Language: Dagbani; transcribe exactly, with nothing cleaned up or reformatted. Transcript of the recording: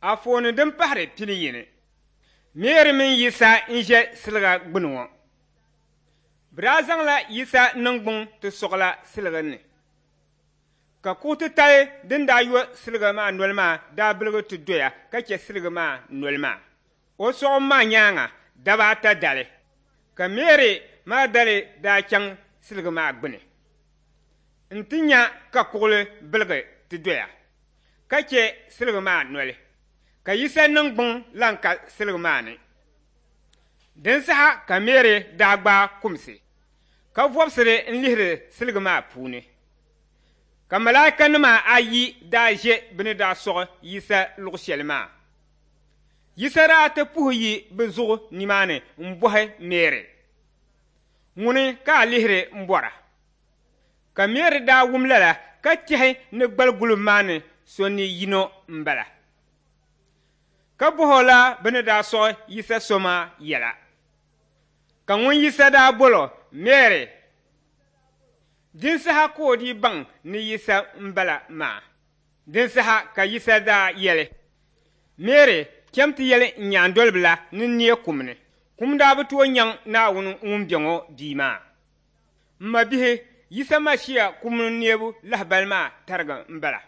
Anfooni din pahiri pini yini Meeri mini Yisa n-ʒe siliga gbuni ŋɔ. Bɛ daa zaŋla Yisa niŋgbuŋ ti sɔɣila siliga ni, ka kuɣ titali din daa yo siliga maa noli maa daa biligi ti doya ka chɛ siliga maa noli maa. O sɔɣim maa nyaaŋa daba ata dali, ka Meeri Magdali daa chaŋ siliga maa gbuni nti nya ka kuɣili biligi ti doya ka chɛ siliga maa noli, ka Yisa niŋgbuŋ lan ka siliga maa ni. Din saha ka Meeri daa gbaai kumsi, ka vɔbisiri n-lihiri siliga maa puuni. Ka malaikanima ayi daa ʒe bɛ ni daa sɔɣi Yisa luɣ shɛli maa. Yisa daa ti puhi yi bɛ zuɣu nimaani m-bɔhi Meeri, Ŋuni ka a lihiri m-bɔra? Ka Meeri daa wum lala ka tɛhi ni gbaliguliba maa ni so ni yino m-bala. Ka bɔh o la bɛ ni daa sɔɣi Yisa so maa yɛla. Ka ŋun Yisa daa bol o, Meeri! Din saha ka o dii baŋ ni Yisa m-bala maa. Din saha ka Yisa daa yɛli, Meeri, cham ti yɛli n nyaandoliba la ni n neei kum ni. Kum daa bi tooi nyaŋ Naawuni ŋun be ŋɔ bia maa. M mabihi, Yisa Mashia kum ni neebu lahibali maa tariga m-bala.